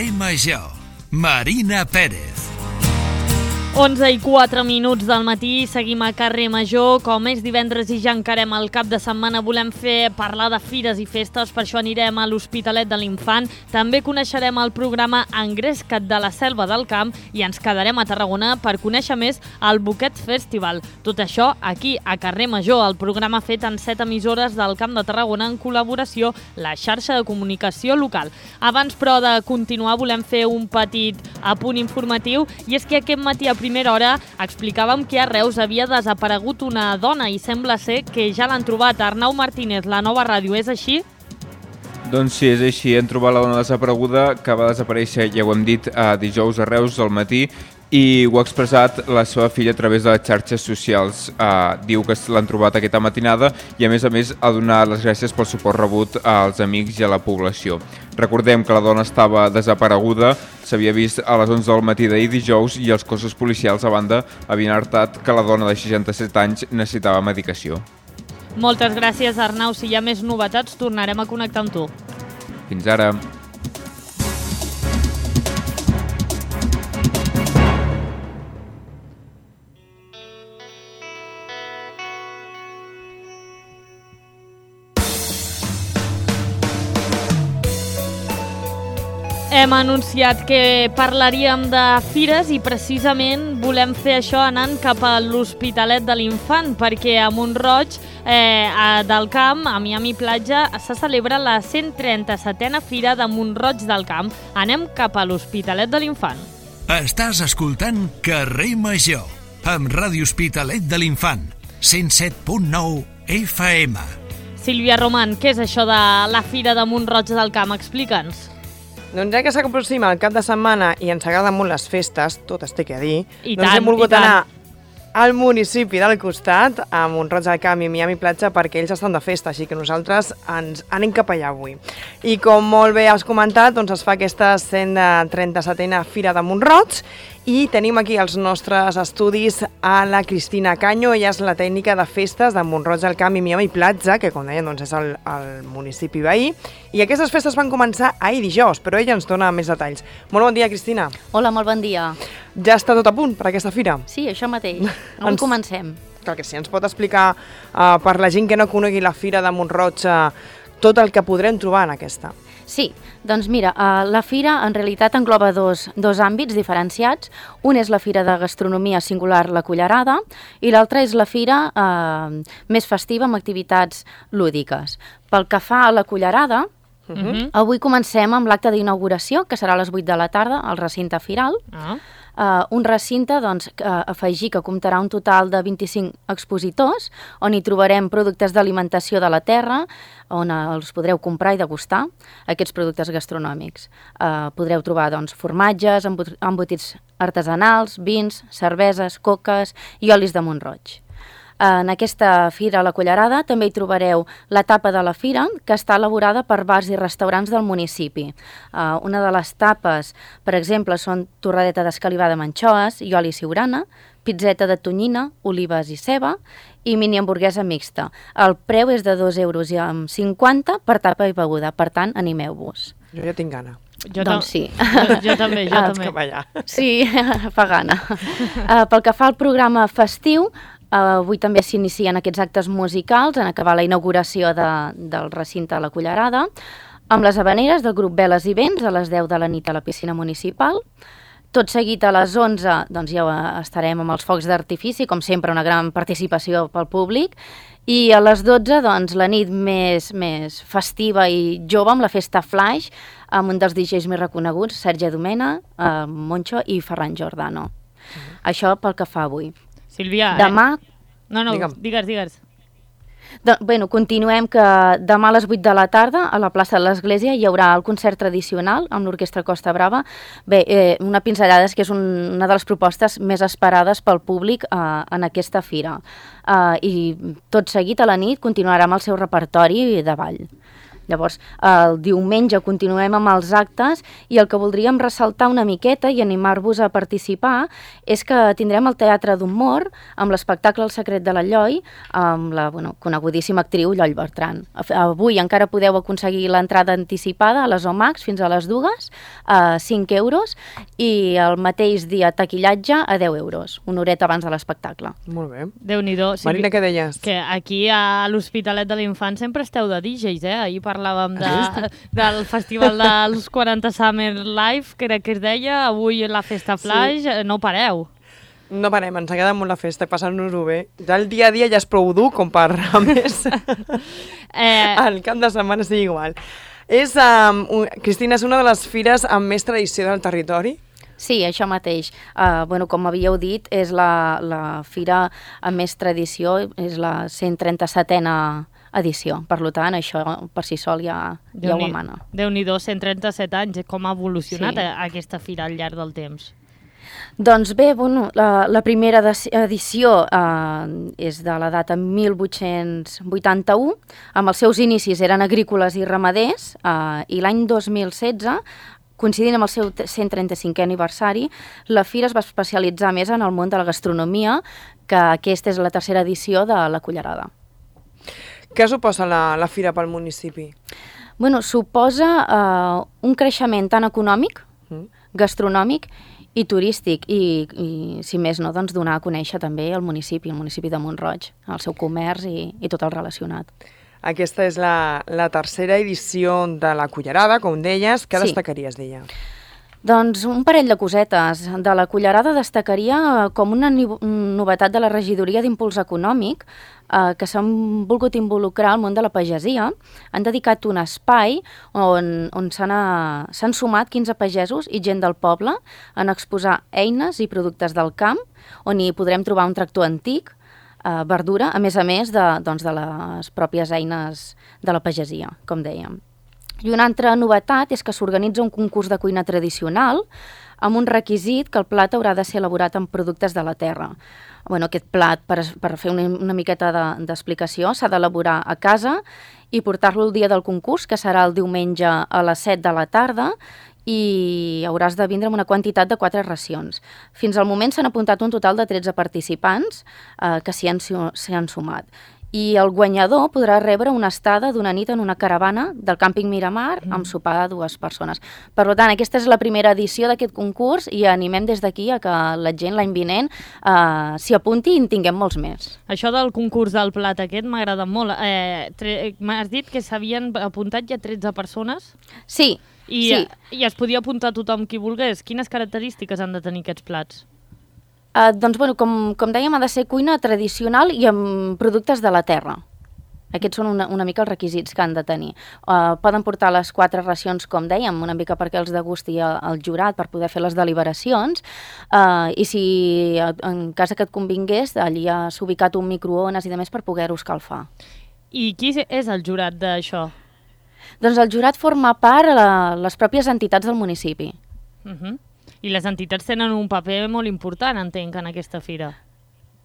Carrer Major. Marina Pérez. 11:04 del matí, seguim a Carrer Major. Com és divendres i ja encarem el cap de setmana, volem parlar de fires i festes, per això anirem a l'Hospitalet de l'Infant. També coneixerem el programa Engresca't de la Selva del Camp i ens quedarem a Tarragona per conèixer més el Boquet Festival. Tot això aquí a Carrer Major, el programa fet en 7 emissores del Camp de Tarragona en col·laboració la xarxa de comunicació local. Abans, però, de continuar, volem fer un petit apunt informatiu, i és que aquest matí a primera hora explicàvem que a Reus havia desaparegut una dona i sembla ser que ja l'han trobat. Arnau Martínez, La Nova Ràdio, és així? Doncs sí, és així. Hem trobat la dona desapareguda que va desaparèixer, ja ho hem dit, dijous a Reus al matí, i ho ha expressat la seva filla a través de les xarxes socials. Diu que l'han trobat aquesta matinada i a més ha donat les gràcies pel suport rebut als amics i a la població. Recordem que la dona estava desapareguda, s'havia vist a les 11 del matí d'ahir dijous i els cossos policials a banda havien alertat que la dona de 67 anys necessitava medicació. Moltes gràcies, Arnau. Si hi ha més novetats, tornarem a connectar amb tu. Fins ara. Hem anunciat que parlaríem de fires i precisament volem fer això anant cap a l'Hospitalet de l'Infant, perquè a Mont-roig del Camp, a Miami Platja, se celebra la 137a Fira de Mont-roig del Camp. Anem cap a l'Hospitalet de l'Infant. Estàs escoltant Carrer Major, amb Ràdio Hospitalet de l'Infant, 107.9 FM. Sílvia Roman, què és això de la Fira de Mont-roig del Camp? Explica'ns. Doncs ja que s'aproxima el cap de setmana i ens agraden molt les festes, tot es té que dir, hem volgut anar al municipi del costat, a Mont-roig del Camp i Miami Platja, perquè ells estan de festa, així que nosaltres ens anem cap allà avui. I com molt bé has comentat, doncs es fa aquesta 137a Fira de Mont-roig i tenim aquí els nostres estudis a la Cristina Caño. Ella és la tècnica de festes de Mont-roig del Camp i Miami Platja, que com deien doncs és el municipi veí, i aquestes festes van començar ahir dijous, però ella ens dona més detalls. Molt bon dia, Cristina. Hola, molt bon dia. Ja està tot a punt per aquesta fira? Sí, això mateix. On comencem? Clar que sí, ens pot explicar per la gent que no conegui la Fira de Mont-roig tot el que podrem trobar en aquesta. Sí, doncs mira, la fira en realitat engloba dos àmbits diferenciats. Un és la fira de gastronomia singular La Cullerada i l'altra és la fira més festiva amb activitats lúdiques. Pel que fa a La Cullerada, avui comencem amb l'acte d'inauguració, que serà a les 8 de la tarda al recinte firal. Un recinte, doncs, afegir que comptarà un total de 25 expositors, on hi trobarem productes d'alimentació de la terra, on els podreu comprar i degustar, aquests productes gastronòmics. Podreu trobar, doncs, formatges, embotits artesanals, vins, cerveses, coques i olis de Mont-roig. En aquesta fira, La Cullerada, també hi trobareu la tapa de la fira, que està elaborada per bars i restaurants del municipi. Una de les tapes, per exemple, són torradeta d'escalivada amb anxoes i oli siurana, pizzeta de tonyina, olives i ceba i mini hamburguesa mixta. El preu és de 2,50 € per tapa i beguda, per tant, animeu-vos. Jo ja tinc gana. Doncs sí. Jo també. Sí, fa gana. Pel que fa al programa festiu, avui també s'inicien aquests actes musicals en acabar la inauguració del recinte a La Cullerada, amb les havaneres del grup Veles i Vents a les 10 de la nit a la piscina municipal. Tot seguit a les 11 doncs ja estarem amb els focs d'artifici, com sempre una gran participació pel públic, i a les 12 doncs, la nit més festiva i jove amb la festa Flash, amb un dels DJs més reconeguts, Sergi Domena, Moncho i Ferran Giordano. Això pel que fa avui. Sílvia, demà... No, digues. Bueno, continuem que demà a les 8 de la tarda a la plaça de l'Església hi haurà el concert tradicional amb l'Orquestra Costa Brava. Bé, una pinzellada és que és una de les propostes més esperades pel públic en aquesta fira. I tot seguit a la nit continuarà amb el seu repertori de ball. Llavors, el diumenge continuem amb els actes i el que voldríem ressaltar una miqueta i animar-vos a participar és que tindrem el Teatre d'Humor amb l'espectacle El secret de la Lloi amb la conegudíssima actriu Lloll Bertran. Avui encara podeu aconseguir l'entrada anticipada a les OMAX fins a les 2, a 5 euros, i el mateix dia taquillatge a 10 euros, una horeta abans de l'espectacle. Molt bé. Déu-n'hi-do. Marina, què deies? Que aquí a l'Hospitalet de l'Infant sempre esteu de DJs, Ahir parlàvem del festival dels 40 Summer Live, crec que es deia, avui la Festa Flash, no pareu. No parem, ens agrada molt la festa, passant-nos-ho bé. Ja el dia a dia ja és prou dur com per, a més, el cap de setmana sigui igual. Cristina, és una de les fires amb més tradició del territori? Sí, això mateix. Com havíeu dit, és la fira amb més tradició, és la 137a edició. Per tant, això per si sol ja ho emana. Déu-n'hi-do, 137 anys, com ha evolucionat aquesta fira al llarg del temps? Doncs bé, la primera edició és de la data 1881, amb els seus inicis eren agrícoles i ramaders, i l'any 2016, coincidint amb el seu 135è aniversari, la fira es va especialitzar més en el món de la gastronomia, que aquesta és la tercera edició de la Cullerada. Què suposa la fira pel municipi? Suposa un creixement tant econòmic, gastronòmic i turístic, i si més no, doncs donar a conèixer també el municipi de Mont-roig, el seu comerç i tot el relacionat. Aquesta és la tercera edició de la Cullerada, com deies. Què destacaries d'ella? Doncs un parell de cosetes. De la Cullerada destacaria com una novetat de la regidoria d'Impuls Econòmic, que s'han volgut involucrar al món de la pagesia. Han dedicat un espai on s'han sumat 15 pagesos i gent del poble en exposar eines i productes del camp, on hi podrem trobar un tractor antic, verdura, a més de les pròpies eines de la pagesia, com dèiem. I una altra novetat és que s'organitza un concurs de cuina tradicional amb un requisit que el plat haurà de ser elaborat amb productes de la terra. Aquest plat, per fer una miqueta d'explicació, s'ha d'elaborar a casa i portar-lo el dia del concurs, que serà el diumenge a les 7 de la tarda, i hauràs de vindre amb una quantitat de 4 racions. Fins al moment s'han apuntat un total de 13 participants que s'hi han sumat. I el guanyador podrà rebre una estada d'una nit en una caravana del càmping Miramar amb sopar de 2 persones. Per tant, aquesta és la primera edició d'aquest concurs i animem des d'aquí a que la gent l'any vinent s'hi apunti i en tinguem molts més. Això del concurs del plat aquest m'agrada molt. M'has dit que s'havien apuntat ja 13 persones? Sí. I es podia apuntar tothom qui volgués. Quines característiques han de tenir aquests plats? Com dèiem, ha de ser cuina tradicional i amb productes de la terra. Aquests són una mica els requisits que han de tenir. Poden portar les 4 racions, com dèiem, una mica perquè els degusti el jurat per poder fer les deliberacions, i si en cas que et convingués, allà s'ha ubicat un microones i demés per poder-ho escalfar. I qui és el jurat d'això? Doncs el jurat forma part de les pròpies entitats del municipi. I les entitats tenen un paper molt important, entenc, en aquesta fira.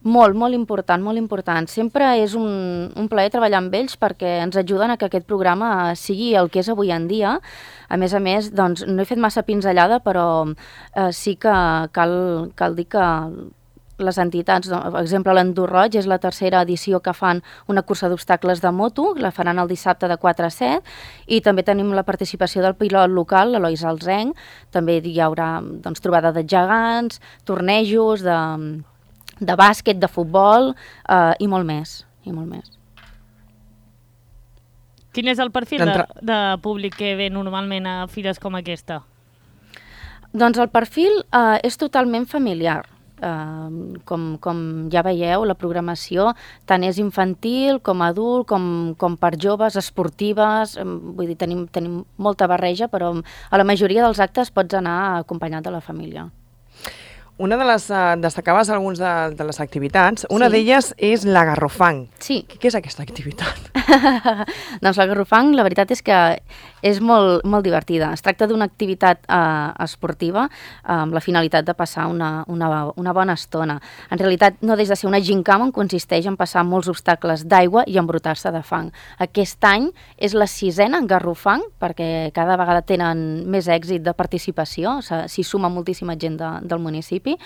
Molt important, molt important. Sempre és un plaer treballar amb ells perquè ens ajuden a que aquest programa sigui el que és avui en dia. A més, doncs, no he fet massa pinzellada, però sí que cal dir que les entitats, per exemple, l'Endurroig és la tercera edició que fan una cursa d'obstacles de moto, la faran el dissabte de 4 a 7, i també tenim la participació del pilot local, l'Eloi Alzenc, també hi haurà trobada de gegants, tornejos de bàsquet, de futbol i molt més. Quin és el perfil de públic que ve normalment a fires com aquesta? Doncs el perfil és totalment familiar. Com ja veieu, la programació tant és infantil com adult, com per joves, esportives, vull dir, tenim molta barreja, però a la majoria dels actes pots anar acompanyat de la família. Una de les... destacaves algunes de les activitats. Una d'elles és la Garrofang. Sí. Què és aquesta activitat? Doncs la Garrofang, la veritat és que És molt, molt divertida. Es tracta d'una activitat esportiva amb la finalitat de passar una bona estona. En realitat no deixa de ser una gincama on consisteix en passar molts obstacles d'aigua i embrutar-se de fang. Aquest any és la 6a en Garrofang, perquè cada vegada tenen més èxit de participació, s'hi suma moltíssima gent del municipi,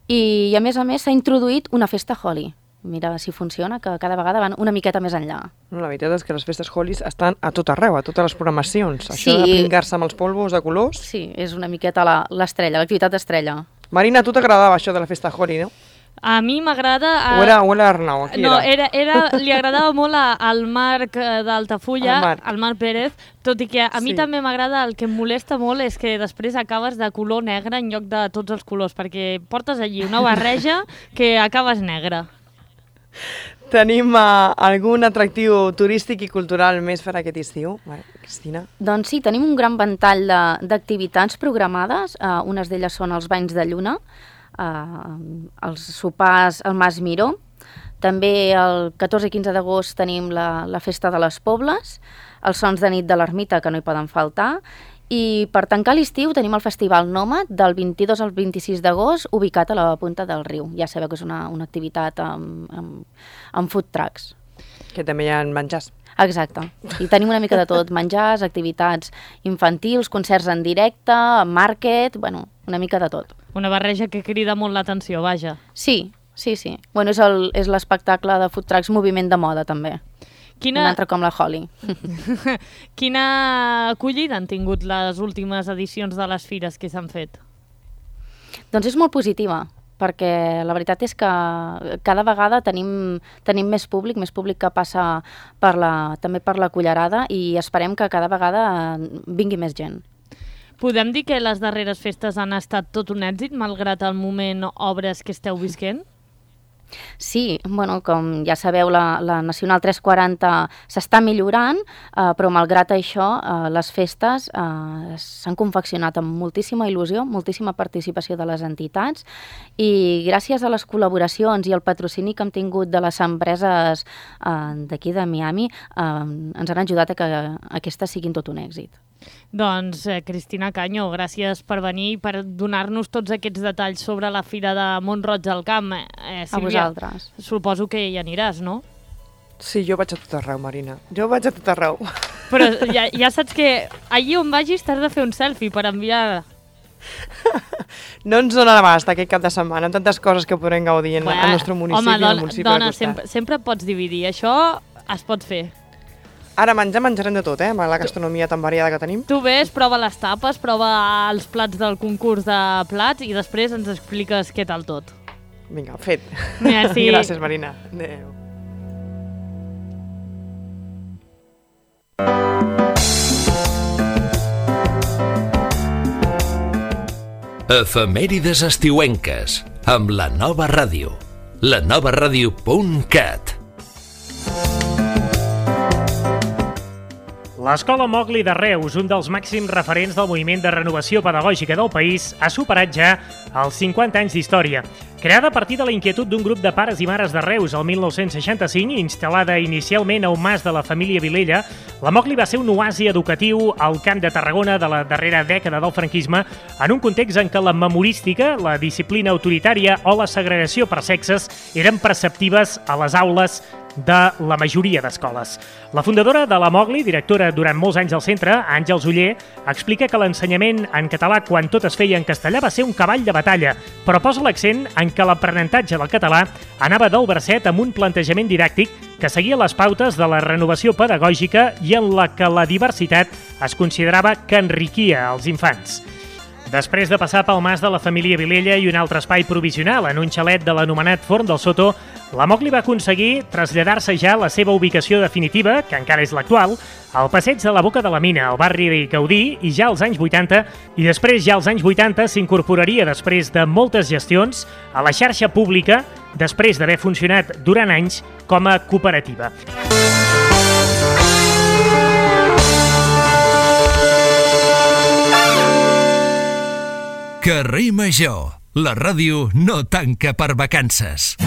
i a més s'ha introduït una festa Holi. Mira si funciona, que cada vegada van una miqueta més enllà. La veritat és que les festes Holis estan a tot arreu, a totes les programacions. Això de pingar-se amb els polvos de colors... Sí, és una miqueta l'estrella, l'activitat estrella. Marina, a tu t'agradava això de la festa Holi, no? A mi m'agrada... O era Arnau? No, li agradava molt al Marc d'Altafulla, al Marc Pérez, tot i que a mi també m'agrada, el que em molesta molt és que després acabes de color negre en lloc de tots els colors, perquè portes allí una barreja que acabes negre. Tenim algun atractiu turístic i cultural més per aquest estiu, Cristina? Doncs sí, tenim un gran ventall d'activitats programades. Unes d'elles són els banys de lluna, els sopars al Mas Miró. També el 14 i 15 d'agost tenim la Festa de les Pobles, els sons de nit de l'Ermita, que no hi poden faltar, i per tancar l'estiu tenim el Festival Nòmad del 22 al 26 d'agost, ubicat a la Punta del Riu. Ja sabeu que és una activitat amb food trucks. Que també hi ha menjars. Exacte. I tenim una mica de tot, menjars, activitats infantils, concerts en directe, market, bueno, una mica de tot. Una barreja que crida molt l'atenció, vaja. Sí. Bueno, és l'espectacle de food trucks Moviment de Moda, també. Un altre com la Holi. Quina acollida han tingut les últimes edicions de les fires que s'han fet? Doncs és molt positiva, perquè la veritat és que cada vegada tenim més públic que passa també per la Cullerada, i esperem que cada vegada vingui més gent. Podem dir que les darreres festes han estat tot un èxit, malgrat el moment obres que esteu visquent? Sí, bueno, com ja sabeu, la Nacional 340 s'està millorant, però malgrat això, les festes s'han confeccionat amb moltíssima il·lusió, moltíssima participació de les entitats, i gràcies a les col·laboracions i al patrocini que hem tingut de les empreses d'aquí de Miami, ens han ajudat a que aquestes siguin tot un èxit. Doncs, Cristina Caño, gràcies per venir i per donar-nos tots aquests detalls sobre la Fira de Mont-roig del Camp. Sílvia, a vosaltres. Suposo que hi aniràs, no? Sí, jo vaig a tot arreu, Marina. Jo vaig a tot arreu. Però ja saps que allí on vagis t'has de fer un selfie per enviar... No ens dona l'abast aquest cap de setmana, amb tantes coses que podrem gaudir al nostre municipi. Home, dona, sempre pots dividir. Això es pot fer. Ara menjarem de tot, amb la gastronomia tan variada que tenim. Tu ves, prova les tapes, prova els plats del concurs de plats i després ens expliques què tal tot. Vinga, fet. Merci. Gràcies, Marina. Adéu. Efemèrides estiuenques amb la Nova Ràdio. lanovaradio.cat. L'Escola Mowgli de Reus, un dels màxims referents del moviment de renovació pedagògica del país, ha superat ja els 50 anys d'història. Creada a partir de la inquietud d'un grup de pares i mares de Reus el 1965 i instal·lada inicialment a un mas de la família Vilella, la Mowgli va ser un oasi educatiu al Camp de Tarragona de la darrera dècada del franquisme, en un context en què la memorística, la disciplina autoritària o la segregació per sexes eren preceptives a les aules de la majoria d'escoles. La fundadora de la Mowgli, directora durant molts anys al centre, Àngels Oller, explica que l'ensenyament en català quan tot es feia en castellà va ser un cavall de batalla, però posa l'accent en que l'aprenentatge del català anava del verset amb un plantejament didàctic que seguia les pautes de la renovació pedagògica i en la que la diversitat es considerava que enriquia els infants. Després de passar pel mas de la família Vilella i un altre espai provisional en un xalet de l'anomenat Forn del Soto, la Mowgli va aconseguir traslladar-se ja a la seva ubicació definitiva, que encara és l'actual, al passeig de la Boca de la Mina, al barri de Gaudí, i ja als anys 80, i després ja als anys 80 s'incorporaria després de moltes gestions a la xarxa pública, després d'haver funcionat durant anys com a cooperativa. Carrer Major, la ràdio no tanca per vacances.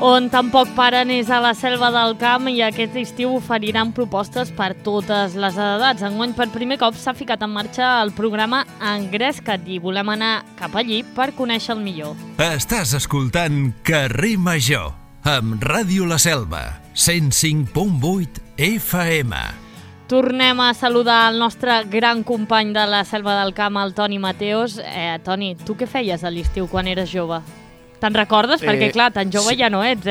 On tampoc paren és a la Selva del Camp i aquest estiu oferiran propostes per totes les edats. Enguany, per primer cop, s'ha ficat en marxa el programa Engresca't i volem anar cap allí per conèixer el millor. Estàs escoltant Carrer Major amb Ràdio La Selva, 105.8 FM. Tornem a saludar el nostre gran company de la Selva del Camp, el Toni Mateos. Toni, tu què feies a l'estiu quan eres jove? Te'n recordes? Perquè, clar, tan jove ja no ets,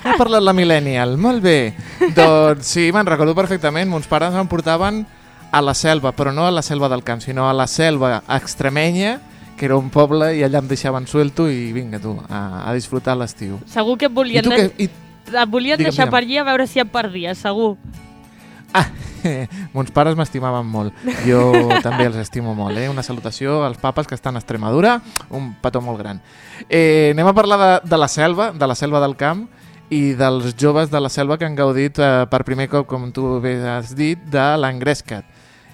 Ha parlat la millennial, molt bé. Doncs sí, me'n recordo perfectament. Mons pares em portaven a la selva, però no a la Selva del Camp, sinó a la selva extremenya, que era un poble, i allà em deixaven suelto i vinga tu, a disfrutar l'estiu. Segur que et volien, deixar per allí a veure si et perdies, segur. Mons pares m'estimaven molt. Jo també els estimo molt. Una salutació als papes que estan a Extremadura. Un petó molt gran. Anem a parlar de la Selva del Camp i dels joves de la Selva que han gaudit per primer cop, com tu bé has dit, de l'Engresca't.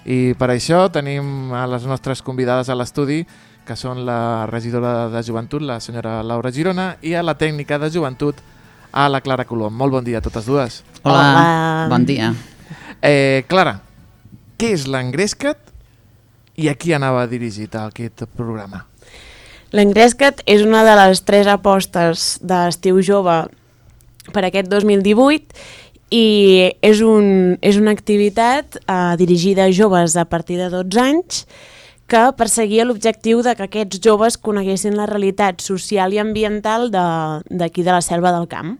I per això tenim a les nostres convidades a l'estudi, que són la regidora de Joventut, la senyora Laura Girona, i a la tècnica de Joventut, a la Clara Colom. Molt bon dia a totes dues. Hola. Bon dia. Clara, què és l'Engresca't i a qui anava dirigit aquest programa? L'Engresca't és una de les 3 apostes d'Estiu Jove per aquest 2018 i és una activitat dirigida a joves a partir de 12 anys que perseguia l'objectiu de que aquests joves coneguessin la realitat social i ambiental d'aquí de la Selva del Camp.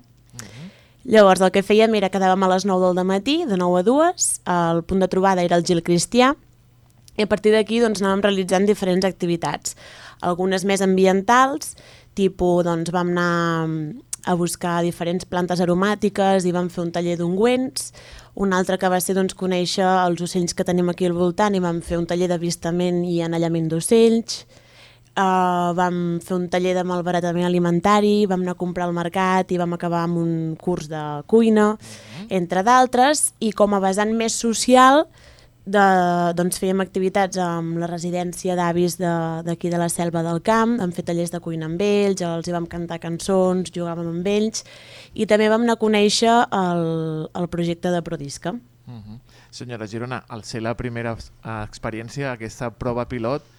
Llavors el que fèiem era quedàvem a les 9 del matí, de 9 a 2, el punt de trobada era el Gil Cristià, i a partir d'aquí anàvem realitzant diferents activitats, algunes més ambientals, tipus vam anar a buscar diferents plantes aromàtiques i vam fer un taller d'ungüents, un altre que va ser conèixer els ocells que tenim aquí al voltant i vam fer un taller d'avistament i anellament d'ocells. Vam fer un taller de malbaratament alimentari, vam anar a comprar al mercat i vam acabar amb un curs de cuina, entre d'altres, i com a vessant més social fèiem activitats amb la residència d'avis d'aquí de la Selva del Camp, vam fer tallers de cuina amb ells, els hi vam cantar cançons, jugàvem amb ells i també vam anar a conèixer el projecte de Prodisca. Senyora Girona, al ser la primera experiència, aquesta prova pilot,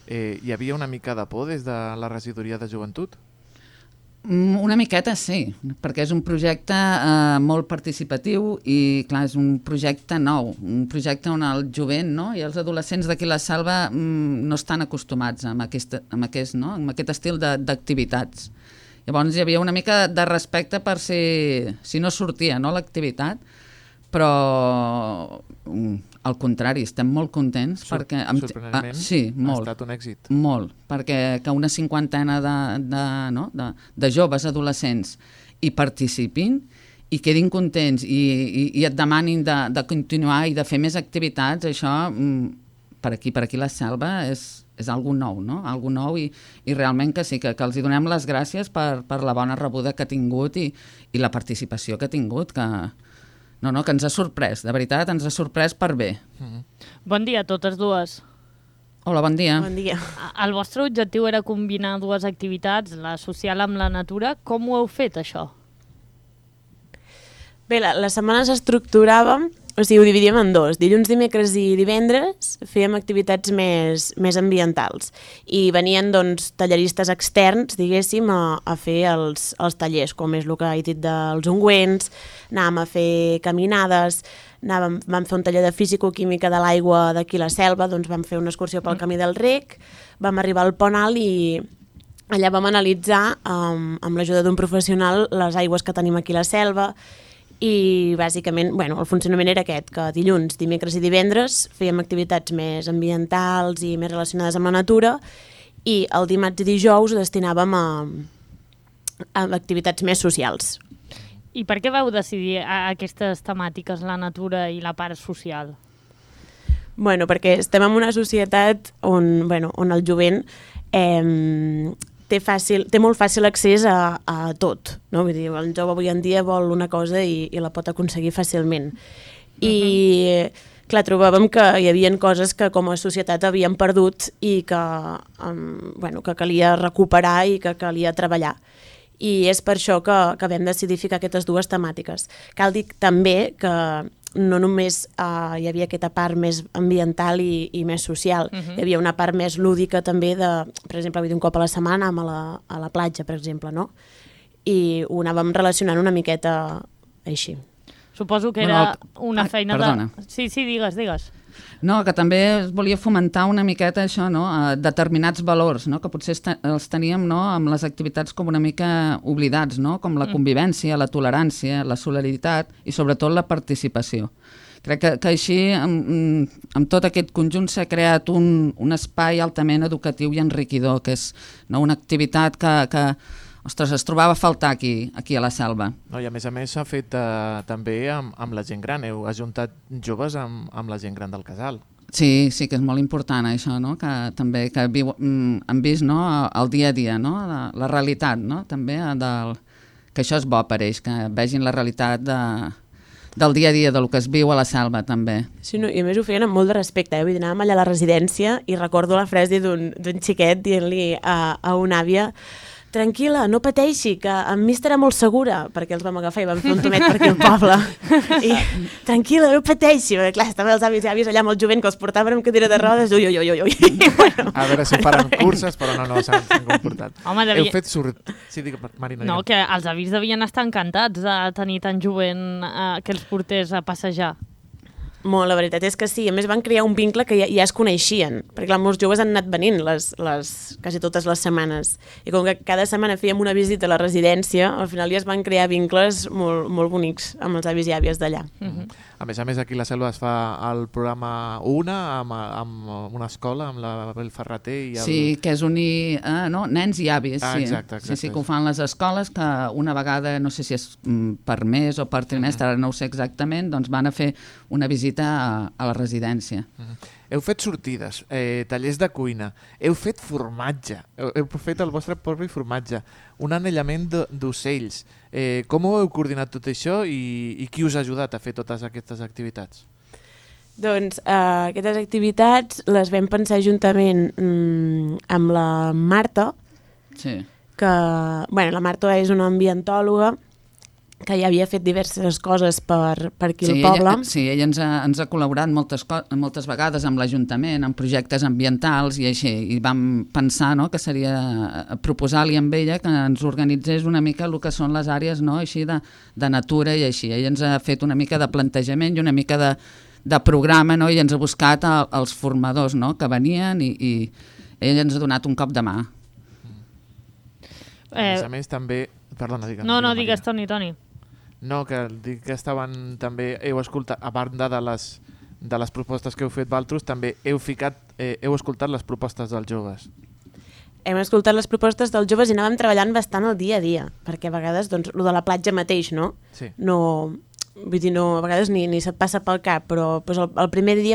hi havia una mica de por des de la regidoria de Joventut? Una miqueta sí, perquè és un projecte molt participatiu i clar, és un projecte nou, un projecte on el jovent i els adolescents d'aquí a la Selva no estan acostumats amb aquest estil d'activitats. Llavors hi havia una mica de respecte per si no sortia l'activitat, però al contrari, estem molt contents perquè... Sorprenentment ha estat un èxit. Molt, perquè que una cinquantena de joves adolescents hi participin i quedin contents i et demanin de continuar i de fer més activitats, això per aquí la Selva és algo nou, algo nou i realment que sí, que els hi donem les gràcies per la bona rebuda que ha tingut i la participació que ha tingut, que ens ha sorprès, de veritat, ens ha sorprès per bé. Bon dia a totes dues. Hola, bon dia. Bon dia. El vostre objectiu era combinar 2 activitats, la social amb la natura. Com ho heu fet, això? Bé, la setmana s'estructurava, o sigui, ho dividíem en 2. Dilluns, dimecres i divendres fèiem activitats més ambientals i venien talleristes externs, diguéssim, a fer els tallers, com és el que he dit dels ungüents, anàvem a fer caminades, vam fer un taller de físico-química de l'aigua d'aquí a la Selva, vam fer una excursió pel camí del Rec, vam arribar al Pont Alt i allà vam analitzar, amb l'ajuda d'un professional, les aigües que tenim aquí a la Selva. I bàsicament el funcionament era aquest, que dilluns, dimecres i divendres fèiem activitats més ambientals i més relacionades amb la natura i el dimarts i dijous ho destinàvem a activitats més socials. I per què vau decidir aquestes temàtiques, la natura i la part social? Perquè estem en una societat on el jovent té molt fàcil accés a tot, no? Vull dir, el jove avui en dia vol una cosa i la pot aconseguir fàcilment. I clar, trobàvem que hi havia coses que com a societat havíem perdut i que, que calia recuperar i que calia treballar. I és per això que vam decidir ficar aquestes dues temàtiques. Cal dir també que no només hi havia aquesta part més ambiental i més social, hi havia una part més lúdica també de, per exemple, un cop a la setmana a la platja, per exemple, no? I ho anàvem relacionant una miqueta així. Suposo que era una feina perdona. Sí, digues. No, que també es volia fomentar una miqueta això, no? Determinats valors, no? Que potser els teníem, no? Amb les activitats com una mica oblidats, no? Com la convivència, la tolerància, la solidaritat i sobretot la participació. Crec que així, amb tot aquest conjunt, s'ha creat un espai altament educatiu i enriquidor, que és una activitat que ostres, es trobava a faltar aquí a la Selva. No, i a més s'ha fet també amb la gent gran. Heu ajuntat joves amb la gent gran del casal. Sí, que és molt important això, no? Que també que han vist, no? El dia a dia, no? La realitat, no? També que això és bo per ells, que vegin la realitat del dia a dia, del que es viu a la Selva, també. Sí, no, i a més ho feien amb molt de respecte. Vull dir, anàvem allà a la residència i recordo la frase d'un xiquet dient-li a una àvia: tranquil·la, no pateixi, que amb mi estarà molt segura, perquè els vam agafar i vam fer un tomet per aquí al poble. I tranquil·la, no pateixi, perquè clar, estaven els avis i àvies allà amb el jovent que els portaven amb cadira de rodes, ui. Bueno. A veure si faran curses, però no s'han comportat. Home, Heu fet Sí, digue, Marina. No, que els avis devien estar encantats de tenir tan jovent que els portés a passejar. Molt, la veritat és que sí. A més van crear un vincle que ja es coneixien, perquè clar, molts joves han anat venint quasi totes les setmanes. I com que cada setmana fèiem una visita a la residència, al final ja es van crear vincles molt, molt bonics amb els avis i àvies d'allà. A més, aquí a la Selva es fa el programa UNA amb una escola, amb la Bel Ferrater. Sí, que és unir nens i avis. Exacte. Sí, que ho fan les escoles, que una vegada, no sé si és per mes o per trimestre, ara no ho sé exactament, doncs van a fer una visita a la residència. Heu fet sortides, tallers de cuina, heu fet formatge, heu fet el vostre propi formatge, un anellament d'ocells. Com ho heu coordinat tot això i qui us ha ajudat a fer totes aquestes activitats? Doncs aquestes activitats les vam pensar juntament amb la Marta, sí. Que la Marta és una ambientòloga que ja havia fet diverses coses per aquí al poble. Ella ens ha col·laborat moltes vegades amb l'Ajuntament, en projectes ambientals i així, i vam pensar que seria proposar-li amb ella que ens organitzés una mica el que són les àrees així de natura i així. Ella ens ha fet una mica de plantejament i una mica de programa i ens ha buscat els formadors que venien i ella ens ha donat un cop de mà. A més també... Perdona, digues. No, digues, Toni. No, que dic que estaven també, heu escoltat, a banda de les propostes que heu fet vosaltres, també heu escoltat les propostes dels joves. Hem escoltat les propostes dels joves i anàvem treballant bastant el dia a dia, perquè a vegades, doncs, lo de la platja mateix, no? Sí. Vull dir, a vegades ni se't passa pel cap, però el primer dia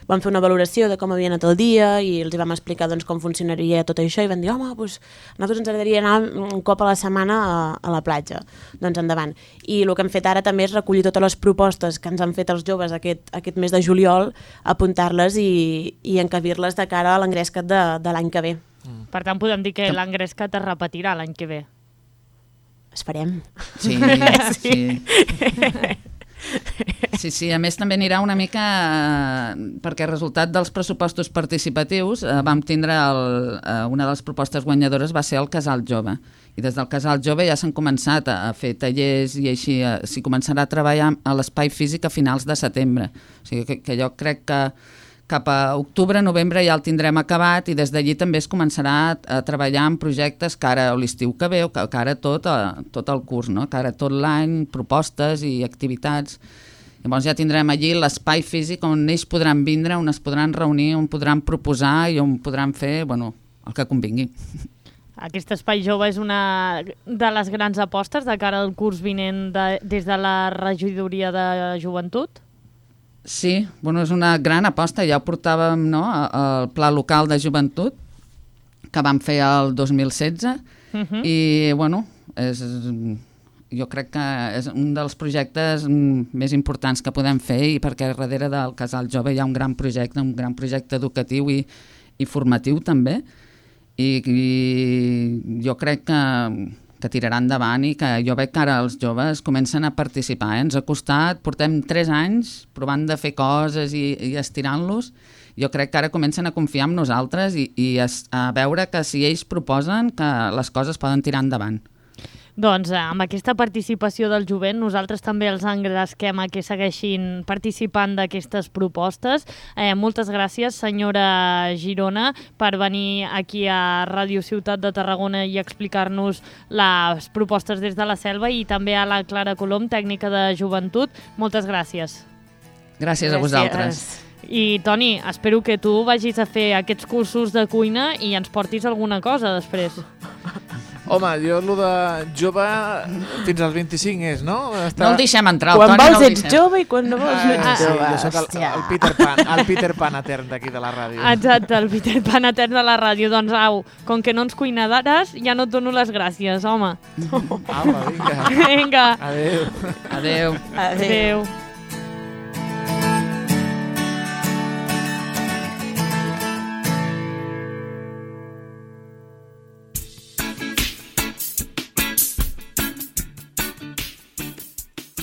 vam fer una valoració de com havia anat el dia i els vam explicar com funcionaria tot això i van dir, home, a nosaltres ens agradaria anar un cop a la setmana a la platja. Doncs endavant. I el que hem fet ara també és recollir totes les propostes que ens han fet els joves aquest mes de juliol, apuntar-les i encabir-les de cara a l'engrescat de l'any que ve. Per tant, podem dir que l'engrescat es repetirà l'any que ve. Esperem. Sí. Sí, a més també anirà una mica perquè resultat dels pressupostos participatius vam tindre una de les propostes guanyadores va ser el Casal Jove i des del Casal Jove ja s'han començat a fer tallers i així s'hi començarà a treballar a l'espai físic a finals de setembre, o sigui que jo crec que cap a octubre, novembre ja el tindrem acabat i des d'allí també es començarà a treballar en projectes que ara l'estiu que ve o que ara tot el curs, que ara tot l'any, propostes i activitats. Llavors ja tindrem allí l'espai físic on ells podran vindre, on es podran reunir, on podran proposar i on podran fer el que convingui. Aquest espai jove és una de les grans apostes de cara al curs vinent des de la regidoria de joventut? Sí, és una gran aposta, ja ho portàvem al Pla Local de Joventut que vam fer el 2016 i jo crec que és un dels projectes més importants que podem fer, i perquè darrere del Casal Jove hi ha un gran projecte educatiu i formatiu també, i jo crec que tirarà endavant, i que jo veig que ara els joves comencen a participar. Ens ha costat, portem 3 anys provant de fer coses i estirant-los. Jo crec que ara comencen a confiar en nosaltres i a veure que si ells proposen, que les coses poden tirar endavant. Doncs amb aquesta participació del jovent nosaltres també els engresquem a que segueixin participant d'aquestes propostes. Moltes gràcies, senyora Girona, per venir aquí a Ràdio Ciutat de Tarragona i explicar-nos les propostes des de la Selva, i també a la Clara Colom, tècnica de joventut. Moltes gràcies. Gràcies a vosaltres. I Toni, espero que tu vagis a fer aquests cursos de cuina i ens portis alguna cosa després. Home, jo el de jove fins als 25 és, no? No el deixem entrar, el Quan Toni vols no el ets deixem. jove i quan no vols no ets Sí, jove. jo soc el Peter Pan etern d'aquí de la ràdio. Exacte, el Peter Pan etern de la ràdio. Doncs au, com que no ens cuinaràs, ja no et dono les gràcies, home. Apa, vinga. Vinga. Adéu. Adéu. Adéu.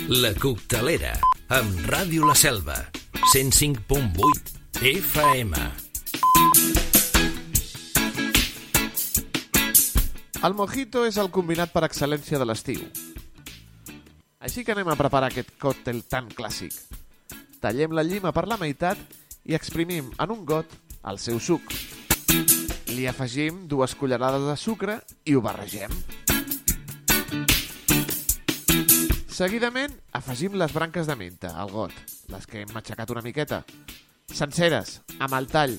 La Coctelera, amb Ràdio La Selva, 105.8 FM. El mojito és el combinat per excel·lència de l'estiu. Així que anem a preparar aquest còctel tan clàssic. Tallem la llima per la meitat i exprimim en un got el seu suc. Li afegim 2 cullerades de sucre i ho barregem. Seguidament, afegim les branques de menta al got, les que hem matxacat una miqueta, senceres, amb el tall,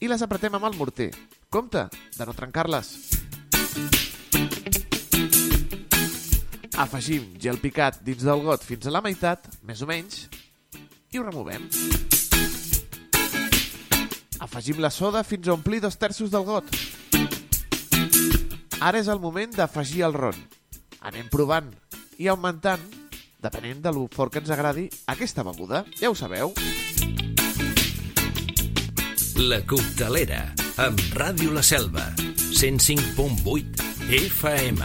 i les apretem amb el morter. Compte de no trencar-les. Afegim gel picat dins del got fins a la meitat, més o menys, i ho removem. Afegim la soda fins a omplir 2/3 del got. Ara és el moment d'afegir el ron. Anem provant i augmentant, depenent de lo fort que ens agradi aquesta beguda. Ja ho sabeu. La Coctelera, amb Ràdio La Selva, 105.8 FM.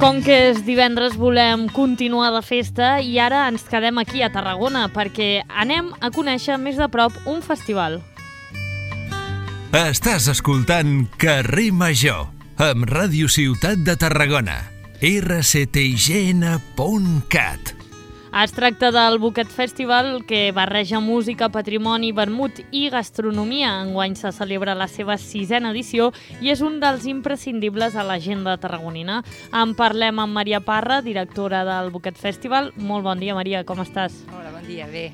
Com que és divendres volem continuar de festa i ara ens quedem aquí a Tarragona perquè anem a conèixer més de prop un festival. Estàs escoltant Carrer Major, amb Ràdio Ciutat de Tarragona, rctign.cat. Es tracta del Buquet Festival, que barreja música, patrimoni, vermut i gastronomia. Enguany se celebra la seva 6ª edició i és un dels imprescindibles a l'agenda tarragonina. En parlem amb Maria Parra, directora del Buquet Festival. Molt bon dia, Maria, com estàs? Hola, bon dia, bé,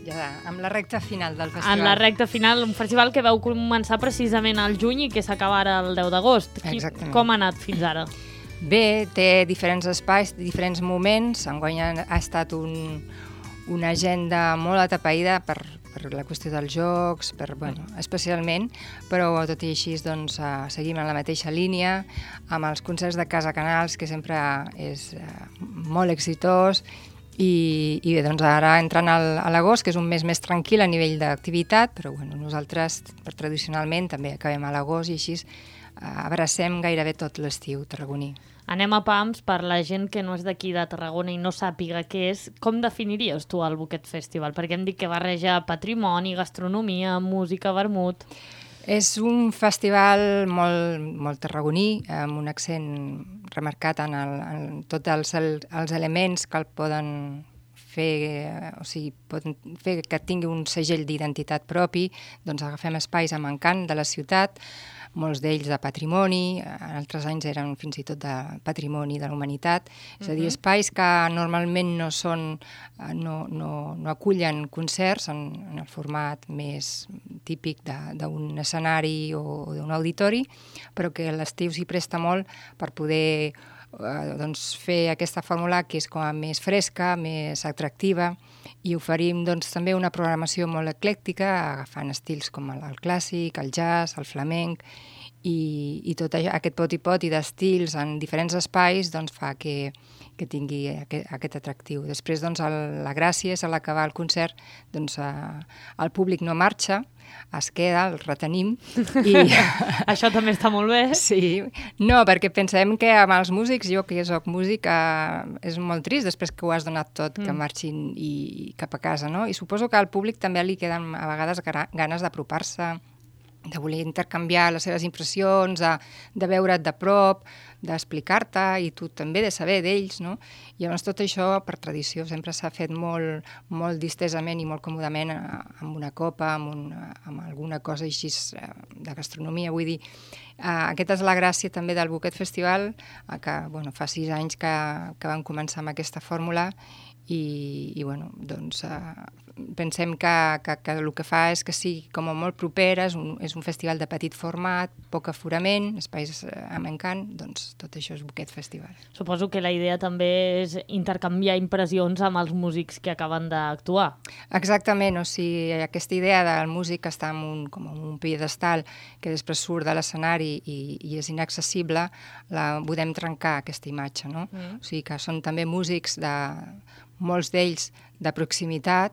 ja amb la recta final del festival. En la recta final, un festival que vau començar precisament al juny i que s'acaba ara el 10 d'agost. Exactament. Com ha anat fins ara? Bé, té diferents espais, diferents moments. Enguany ha estat una agenda molt atapeïda per la qüestió dels jocs, especialment, però tot i així doncs, seguim en la mateixa línia, amb els concerts de Casa Canals, que sempre és molt exitós, i bé, doncs ara entrant a l'agost, que és un mes més tranquil a nivell d'activitat, però nosaltres tradicionalment també acabem a l'agost i així abracem gairebé tot l'estiu tarragoní. Anem a pams per la gent que no és d'aquí de Tarragona i no sàpiga què és. Com definiries tu el Buquet Festival? Perquè hem dit que barreja patrimoni, gastronomia, música, vermut. És un festival molt tarragoní, amb un accent remarcat en tots els elements que el poden fer, o sigui, poden fer que tingui un segell d'identitat propi. Doncs agafem espais amb encant de la ciutat, molts d'ells de patrimoni, en altres anys eren fins i tot de patrimoni de la humanitat, és a dir, espais que normalment no acullen concerts en el format més típic d'un escenari o d'un auditori, però que l'estiu s'hi presta molt per poder doncs, fer aquesta fórmula que és com a més fresca, més atractiva, i oferim doncs, també una programació molt eclèctica, agafant estils com el clàssic, el jazz, el flamenc, i tot aquest poti-poti d'estils en diferents espais doncs, fa que tingui aquest atractiu. Després, doncs, la gràcia és a l'acabar el concert, doncs, el públic no marxa, es queda, el retenim. Això també està molt bé. Sí, no, perquè pensem que amb els músics, jo que soc músic, és molt trist després que ho has donat tot, que marxin cap a casa, no? I suposo que al públic també li queden a vegades ganes d'apropar-se, de voler intercanviar les seves impressions, de veure't de prop, d'explicar-te, i tu també de saber d'ells, no? I llavors tot això, per tradició, sempre s'ha fet molt, molt distesament i molt còmodament amb una copa, amb alguna cosa així de gastronomia. Vull dir, aquesta és la gràcia també del Buquet Festival, que fa 6 anys que vam començar amb aquesta fórmula, i bueno, doncs, pensem que el que fa és que sigui com molt proper, és un festival de petit format, poc aforament, espais amb encant, doncs tot això és Buquet Festival. Suposo que la idea també és intercanviar impressions amb els músics que acaben d'actuar. Exactament, o sigui, aquesta idea del músic està com en un pedestal que després surt de l'escenari i és inaccessible, la podem trencar, aquesta imatge, no? O sigui que són també músics molts d'ells de proximitat,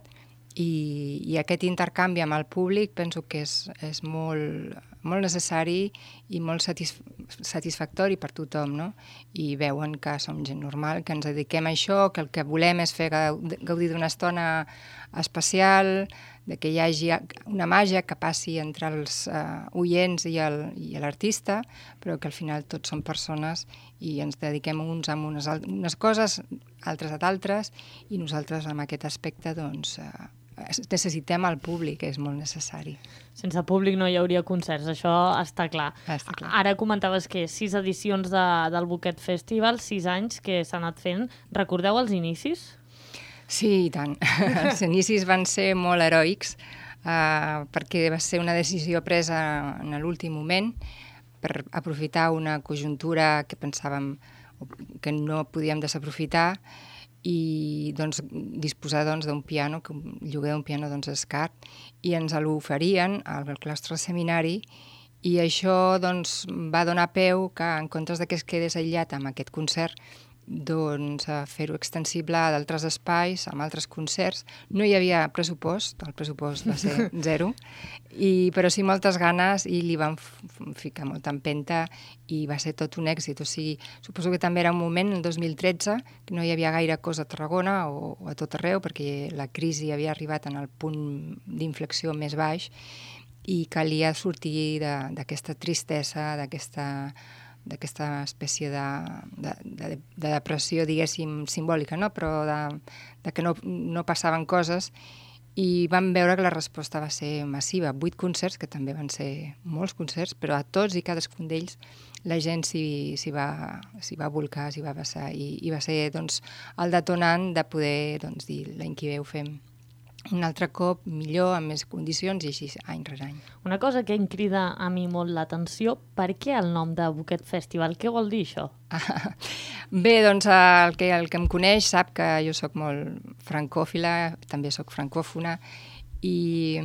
i aquest intercanvi amb el públic penso que és molt, molt necessari i molt satisfactori per tothom, no? I veuen que som gent normal, que ens dediquem a això, que el que volem és fer gaudir d'una estona especial, que hi hagi una màgia que passi entre els oients i l'artista, però que al final tots som persones i ens dediquem uns a unes coses, altres a d'altres, i nosaltres en aquest aspecte doncs, necessitem el públic, que és molt necessari. Sense públic no hi hauria concerts, això està clar. Ara comentaves que 6 edicions del Buquet Festival, 6 anys que s'ha anat fent. Recordeu els inicis? Sí, i tant. Els inicis van ser molt heroics, perquè va ser una decisió presa en l'últim moment per aprofitar una conjuntura que pensàvem que no podíem desaprofitar, i doncs, disposar d'un piano, el lloguer d'un piano és car, i ens l'oferien al claustre seminari, i això doncs, va donar peu que, en comptes que es quedés aïllat amb aquest concert, doncs, fer-ho extensible a d'altres espais, amb altres concerts. No hi havia pressupost, el pressupost va ser 0, però sí moltes ganes, i li van ficar molta empenta, i va ser tot un èxit. O sigui, suposo que també era un moment, el 2013, que no hi havia gaire cosa a Tarragona o a tot arreu, perquè la crisi havia arribat en el punt d'inflexió més baix, i calia sortir d'aquesta tristesa, d'aquesta espècie de depressió, diguéssim, simbòlica, no? Però de que no passaven coses, i vam veure que la resposta va ser massiva. 8 concerts, que també van ser molts concerts, però a tots i cadascun d'ells la gent s'hi va volcar, s'hi va vessar, i va ser doncs, el detonant de poder dir l'any que ve ho fem un altre cop, millor, amb més condicions, i així any rere any. Una cosa que em crida a mi molt l'atenció, per què el nom de Buquet Festival? Què vol dir això? Bé, doncs el que em coneix sap que jo sóc molt francòfila, també sóc francòfona, i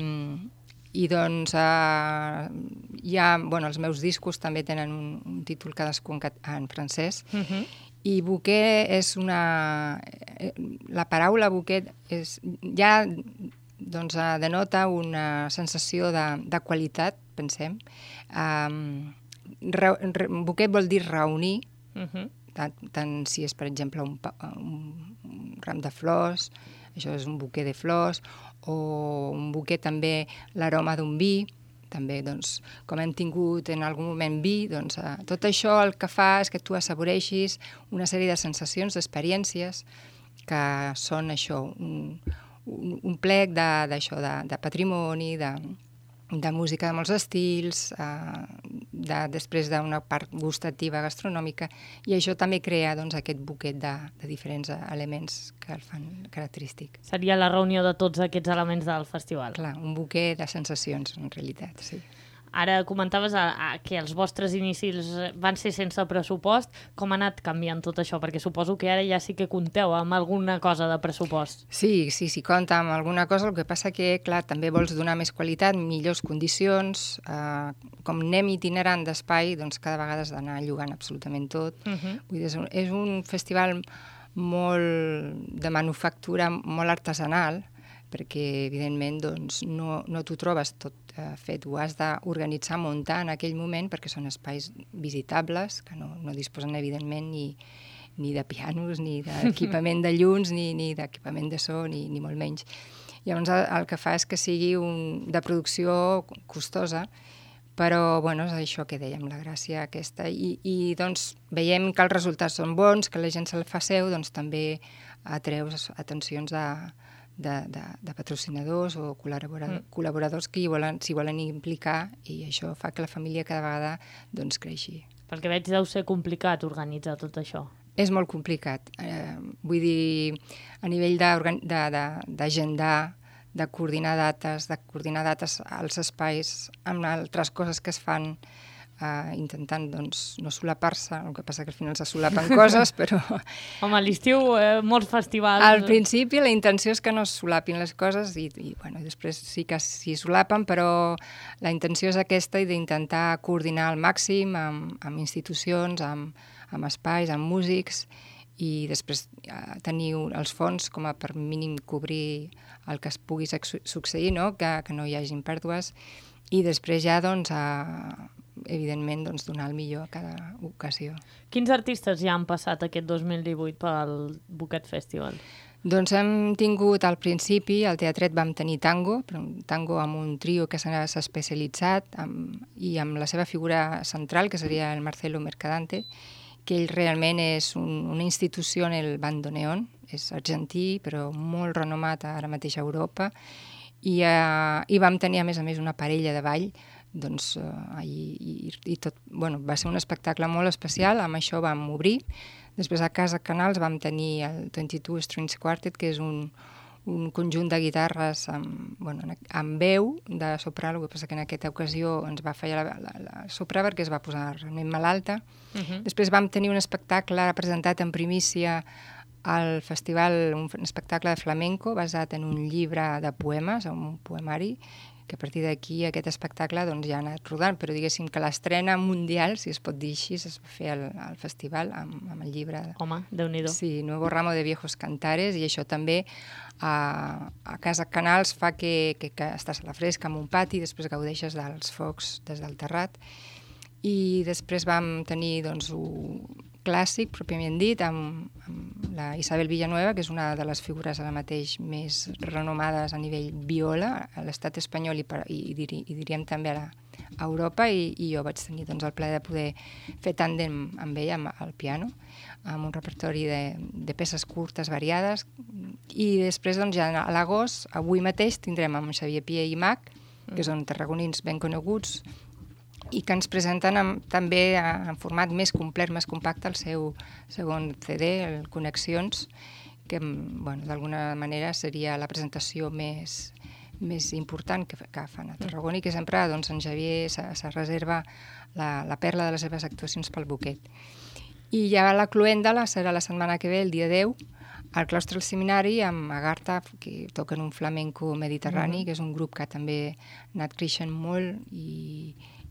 doncs els meus discos també tenen un títol cadascun en francès, i bouquet és la paraula bouquet ja denota una sensació de qualitat, pensem. Bouquet vol dir reunir, tant si és, per exemple, un ram de flors, això és un bouquet de flors, o un bouquet també l'aroma d'un vi, també, doncs, com hem tingut en algun moment vi, doncs, tot això el que fa és que tu assaboreixis una sèrie de sensacions, d'experiències, que són això, un plec de patrimoni, de música de molts estils, després d'una part gustativa gastronòmica, i això també crea aquest buquet de diferents elements que el fan característic. Seria la reunió de tots aquests elements del festival. Clar, un buquet de sensacions, en realitat, sí. Ara comentaves que els vostres inicis van ser sense pressupost. Com ha anat canviant tot això? Perquè suposo que ara ja sí que compteu amb alguna cosa de pressupost. Sí, compta amb alguna cosa. El que passa que, clar, també vols donar més qualitat, millors condicions. Com anem itinerant d'espai, doncs cada vegada has d'anar llogant absolutament tot. Vull dir, és un festival molt de manufactura, molt artesanal, perquè evidentment doncs, no t'ho trobes tot fet, ho has d'organitzar, muntar en aquell moment, perquè són espais visitables, que no disposen evidentment ni de pianos, ni d'equipament de llums, ni d'equipament de so, ni molt menys. Llavors el que fa és que sigui de producció costosa, però bueno, és això que dèiem, la gràcia aquesta, i doncs veiem que els resultats són bons, que la gent se'l fa seu, doncs també atreus atencions de patrocinadors o col·laboradors que s'hi volen implicar, i això fa que la família cada vegada doncs creixi. Perquè veig deu ser complicat organitzar tot això. És molt complicat. Vull dir, a nivell d'agendar, de coordinar dates als espais amb altres coses que es fan, intentant doncs, no solapar-se, el que passa que al final se solapen coses, però... Home, a l'estiu molts festivals... Al principi la intenció és que no es solapin les coses i bueno, després sí que s'hi solapen, però la intenció és aquesta, i d'intentar coordinar al màxim amb institucions, amb espais, amb músics, i després tenir els fons com a per mínim cobrir el que es pugui succeir, no? Que no hi hagin pèrdues, i després ja doncs, evidentment doncs, donar el millor a cada ocasió. Quins artistes ja han passat aquest 2018 pel Buket Festival? Doncs hem tingut al principi, al teatret vam tenir tango amb un trio que s'ha especialitzat i amb la seva figura central, que seria el Marcelo Mercadante, que ell realment és una institució en el bandoneón, és argentí però molt renomat ara mateix a Europa, i vam tenir a més una parella de ball, doncs i tot, bueno, va ser un espectacle molt especial, amb això vam obrir. Després a Casa Canals vam tenir el 22 Strings Quartet, que és un conjunt de guitarres amb veu de soprà, el que passa que en aquesta ocasió ens va fallar la soprà perquè es va posar realment malalta. Després vam tenir un espectacle presentat en primícia al festival, un espectacle de flamenco basat en un llibre de poemes, un poemari, que a partir d'aquí aquest espectacle doncs, ja ha anat rodant, però diguéssim que l'estrena mundial, si es pot dir així, es va fer al festival amb el llibre. Home, Déu-n'hi-do. Sí, Nuevo Ramo de Viejos Cantares, i això també a Casa Canals fa que estàs a la fresca en un pati, després gaudeixes dels focs des del terrat. I després vam tenir doncs, un clàssic, pròpiament dit, amb la Isabel Villanueva, que és una de les figures ara mateix més renomades a nivell viola a l'estat espanyol i diríem també a Europa, i jo vaig tenir doncs, el plaer de poder fer tàndem amb ella al piano, amb un repertori de peces curtes variades, i després doncs, ja a l'agost, avui mateix, tindrem amb Xavier Pié i Mac, que són tarragonins ben coneguts, i que ens presenten també en format més complet, més compacte, el seu segon CD, el Connexions, que bueno, d'alguna manera seria la presentació més important que fan a Tarragona, i que sempre doncs, en Xavier se reserva la perla de les seves actuacions pel Buket. I ja la cloenda serà la setmana que ve, el dia 10, al claustre del seminari, amb Agartha, que toquen un flamenco mediterrani, que és un grup que també ha anat creixent molt,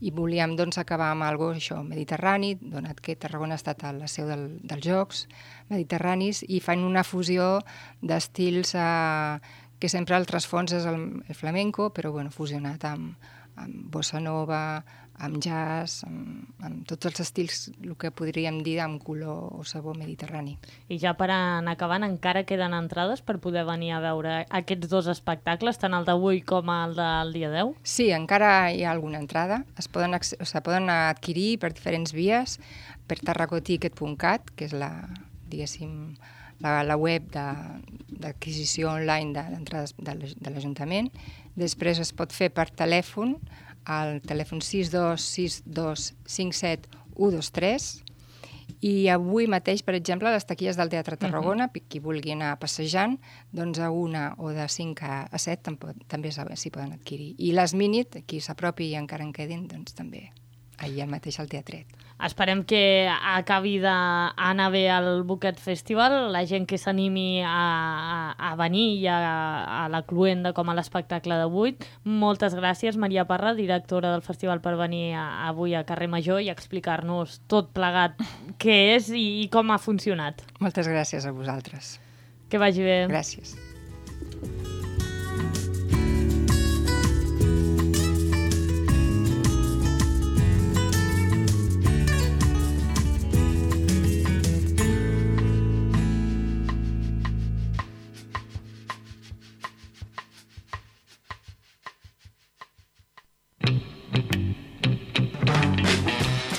i volíem doncs, acabar amb algo això, mediterrani, donat que Tarragona ha estat a la seu dels Jocs Mediterranis, i fan una fusió d'estils que sempre el trasfons és el flamenco, però bueno, fusionat amb bossa nova, amb jazz, amb tots els estils, el que podríem dir amb color o sabor mediterrani. I ja per anar acabant, encara queden entrades per poder venir a veure aquests dos espectacles, tant el d'avui com el del dia 10? Sí, encara hi ha alguna entrada. Es poden adquirir per diferents vies, per tarragoticket.cat, que és diguéssim, la web d'adquisició online d'entrades de l'Ajuntament. Després es pot fer per telèfon, al telèfon 626257 123, I avui mateix, per exemple, a les taquilles del Teatre Tarragona, qui vulgui anar passejant, doncs a 1 o de 5 a 7 també s'hi poden adquirir. I les Minit, qui s'apropi i encara en quedin, doncs també allà mateix al teatret. Esperem que acabi d'anar bé al Buquet Festival, la gent que s'animi a venir i a la cluenda com a l'espectacle d'avui. Moltes gràcies, Maria Parra, directora del festival, per venir avui a Carrer Major i explicar-nos tot plegat què és i com ha funcionat. Moltes gràcies a vosaltres. Que vagi bé. Gràcies.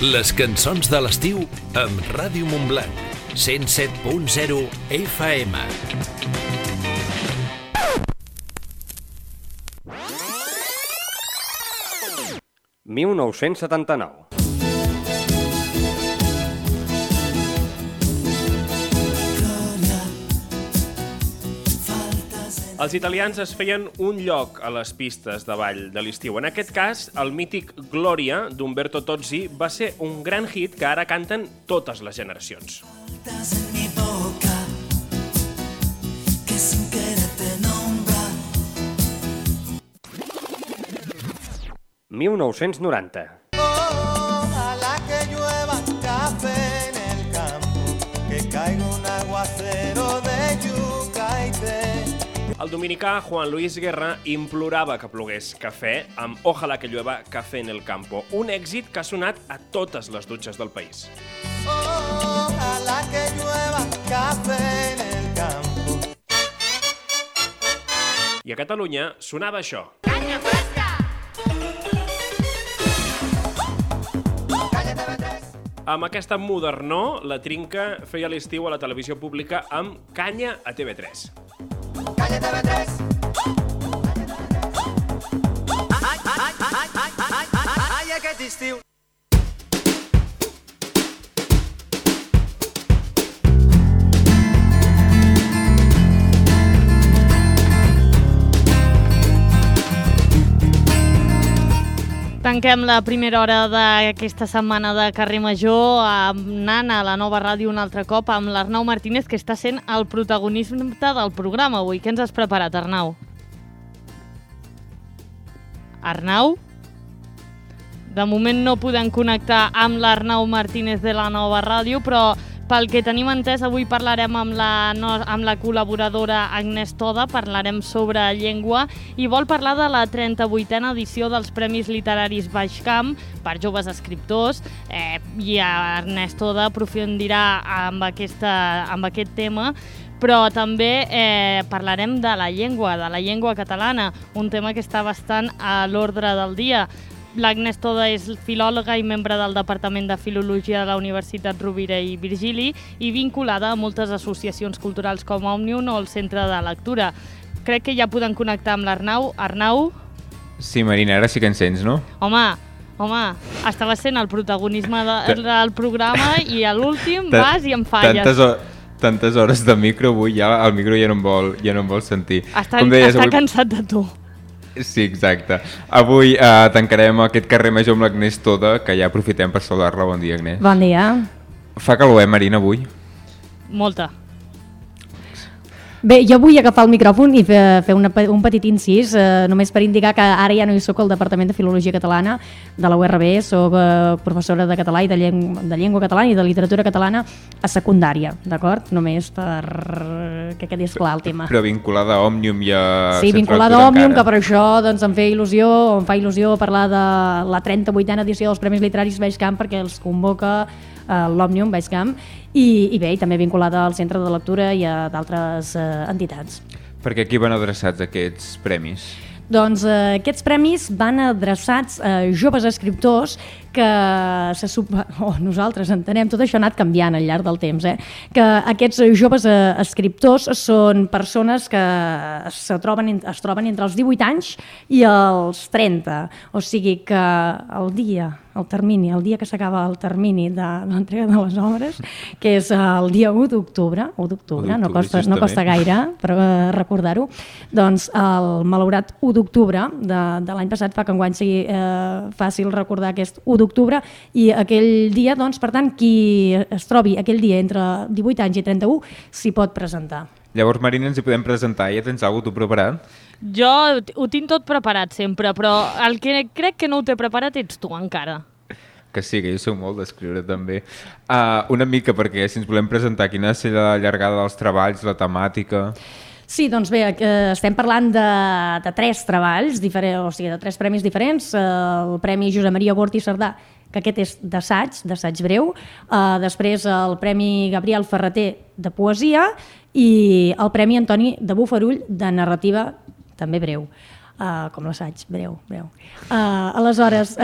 Les cançons de l'estiu amb Ràdio Montblanc, 107.0 FM. «1979». Els italians es feien un lloc a les pistes de ball de l'estiu. En aquest cas, el mític Gloria d'Umberto Tozzi va ser un gran hit que ara canten totes les generacions. 1990. Ojalá que llueva café en el campo, que caiga un aguacero de yuca y té. El dominicà Juan Luis Guerra implorava que plogués cafè amb Ojalá que llueva café en el campo, un èxit que ha sonat a totes les dutxes del país. Ojalá que llueva café en el campo. I a Catalunya sonava això. Canya fresca! Amb aquesta modernor, la Trinca feia l'estiu a la televisió pública amb Canya a TV3. Canya TV3! Ai, aquest estiu! Tanquem la primera hora d'aquesta setmana de Carrer Major anant a la nova ràdio un altre cop amb l'Arnau Martínez, que està sent el protagonista del programa avui. Què ens has preparat, Arnau? Arnau? De moment no podem connectar amb l'Arnau Martínez de la nova ràdio, però pel que tenim entès, avui parlarem amb la col·laboradora Agnès Toda, parlarem sobre llengua i vol parlar de la 38a edició dels Premis Literaris Baixcamp per joves escriptors i Agnès Toda aprofundirà amb aquest tema, però també parlarem de la llengua catalana, un tema que està bastant a l'ordre del dia. L'Agnès Toda és filòloga i membre del Departament de Filologia de la Universitat Rovira i Virgili i vinculada a moltes associacions culturals com Òmnium o el Centre de Lectura. Crec que ja podem connectar amb l'Arnau. Arnau? Sí, Marina, ara sí que ens sents, no? Home, estaves sent el protagonisme del programa i a l'últim vas i em falles. Tantes hores de micro, avui ja el micro ja no em vol sentir. Està cansat de tu. Sí, exacte. Avui tancarem aquest Carrer Major amb l'Agnès Toda, que ja aprofitem per saludar-la. Bon dia, Agnès. Bon dia. Fa calor, Marina, avui? Molta. Bé, jo vull agafar el micròfon i fer un petit incís, només per indicar que ara ja no hi soc al Departament de Filologia Catalana de la URB, soc professora de català i de llengua catalana i de literatura catalana a secundària, d'acord? Només que quedi esclar el tema. Però vinculada a Òmnium i a... Sí, vinculada a Òmnium, que per això doncs, em fa il·lusió parlar de la 38a edició dels Premis Literaris Baixcamp, perquè els convoca l'Òmnium Baixcamp i bé, i també vinculada al Centre de Lectura i a d'altres entitats. Perquè aquí van adreçats aquests premis? Doncs aquests premis van adreçats a joves escriptors que nosaltres entenem, tot això ha anat canviant al llarg del temps, que aquests joves escriptors són persones que es troben entre els 18 anys i els 30, o sigui que el dia que s'acaba el termini de l'entrega de les obres, que és el dia 1 d'octubre, no costa gaire però recordar-ho, doncs el malaurat 1 d'octubre de l'any passat fa que enguany sigui fàcil recordar aquest 1 d'octubre, i aquell dia, doncs, per tant, qui es trobi aquell dia entre 18 anys i 31 s'hi pot presentar. Llavors, Marina, ens hi podem presentar. Ja tens alguna cosa tu preparat? Jo ho tinc tot preparat sempre, però el que crec que no ho té preparat ets tu encara. Que sí, que jo soc molt d'escriure també. Una mica, perquè si ens volem presentar, quina ha de ser la llargada dels treballs, la temàtica... Sí, doncs bé, estem parlant de 3 treballs, o sigui, de 3 premis diferents. El Premi Josep Maria Bort i Cerdà, que aquest és d'assaig breu. Després el Premi Gabriel Ferreter de poesia i el Premi Antoni de Bofarull de narrativa també breu. Com l'assaig, breu. Aleshores,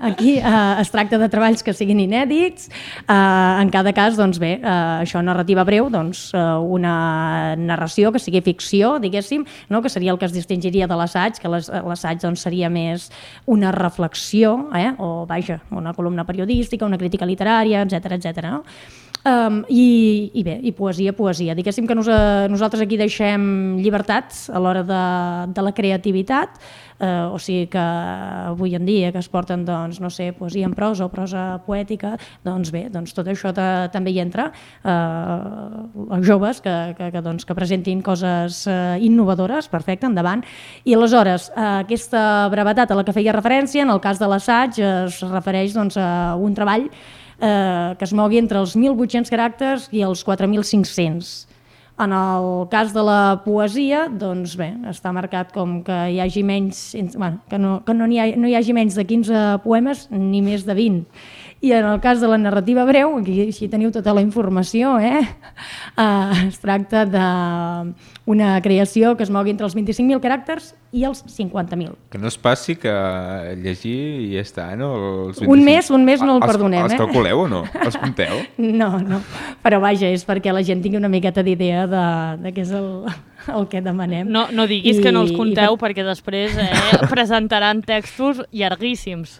aquí es tracta de treballs que siguin inèdits. En cada cas, doncs bé, això, narrativa breu, doncs una narració que sigui ficció, diguéssim, no? Que seria el que es distingiria de l'assaig, que l'assaig doncs, seria més una reflexió, o vaja, una columna periodística, una crítica literària, etc. No? I bé, i poesia. Diguéssim que nosaltres aquí deixem llibertats a l'hora de la creativitat, o sigui que avui en dia que es porten, doncs, no sé, poesia en prosa o prosa poètica, doncs bé, doncs tot això també hi entra. Els joves que presentin coses innovadores, perfecte, endavant. I aleshores, aquesta brevetat a la que feia referència, en el cas de l'assaig, es refereix doncs, a un treball que es mogui entre els 1.800 caràcters i els 4.500. En el cas de la poesia, doncs bé, està marcat com que hi hagi menys, que no hi hagi menys de 15 poemes ni més de 20. I en el cas de la narrativa breu, aquí així teniu tota la informació, es tracta d'una creació que es mogui entre els 25.000 caràcters i els 50.000. Que no es passi que llegir i ja està, no? Un mes no el perdonem. Els calculeu o no? Els compteu? No, però vaja, és perquè la gent tingui una miqueta d'idea de què és el que demanem. No diguis que no els compteu perquè després presentaran textos llarguíssims.